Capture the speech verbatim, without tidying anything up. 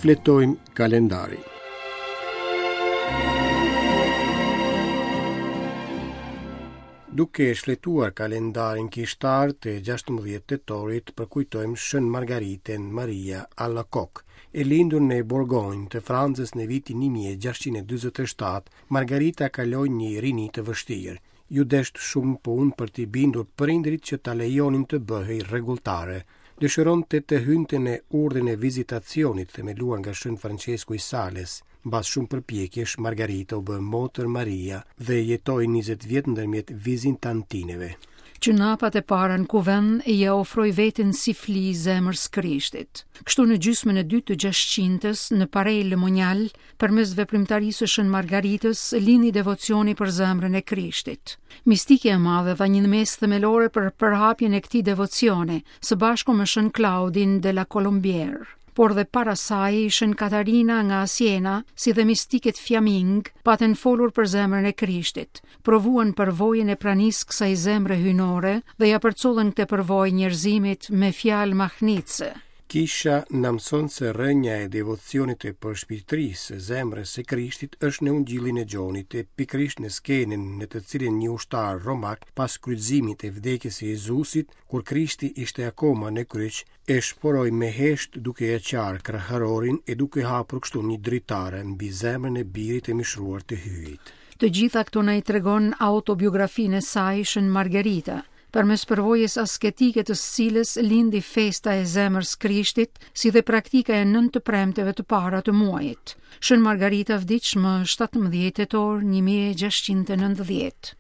Shfletojmë kalendarin. Duke shfletuar kalendarin kishtar të gjashtëmbëdhjetë tetorit, përkujtojmë Shën Margaritën Maria Alacoque. E lindur në Bourgogne të Francës në vitin një mijë e gjashtëqind e dyzet e shtatë, Margarita kaloi një rini të vështirë. Ju desht shumë punë për t'i bindur prindrit që ta lejonin të bëhej rregulltare. Dëshironte të hynte në urdhrin e vizitacionit themeluar nga Shën Francesku i Sales. Mbas shumë përpjekjesh, Margarita u bë motër Maria dhe jetoi njëzet vjet ndërmjet vizitantineve. Që në hapat e para në kuvend ia ofroi veten si fli zemrës Krishtit. Kështu në gjysmën e dytë të gjashtëqindës, në Paray le Monial, përmes veprimtarisë së Shën Margaritës, lindi devocioni për zemrën e Krishtit. Mistikja e madhe dha një ndihmesë themelore për përhapjen e këtij devocioni, së bashku me Shën Claudin de la Colombière. Por dhe para saj, Shën Katarina nga Siena, si dhe mistiket Flaming, patën folur për zemrën e Krishtit, provuan përvojën e pranisë kësaj zemre hyjnore dhe ja përcollën këtë përvojë njerëzimit me fjalë mahnitëse. Kisha na mëson se rrënja e devocionit të përshpirtërisë së zemrës së Krishtit është në Ungjillin e Gjonit, e pikërisht në skenën në të cilën një ushtar romak pas kryqëzimit e vdekjes së Jezusit, kur Krishti ishte akoma në kryq, e shporoi me hesht duke e qarë kraharorin e duke hapur kështu një dritare mbi zemrën e birit të mishruar të Hyjit. Të gjitha këto na i tregon autobiografinë e saj Shën Margarita, përmes përvojës asketike të së cilës lindi festa e zemrës Krishtit, si dhe praktika e nëntë të premteve të para të muajit. Shën Margarita vdiq më shtatëmbëdhjetë tetor një mijë e gjashtëqind e nëntëdhjetë.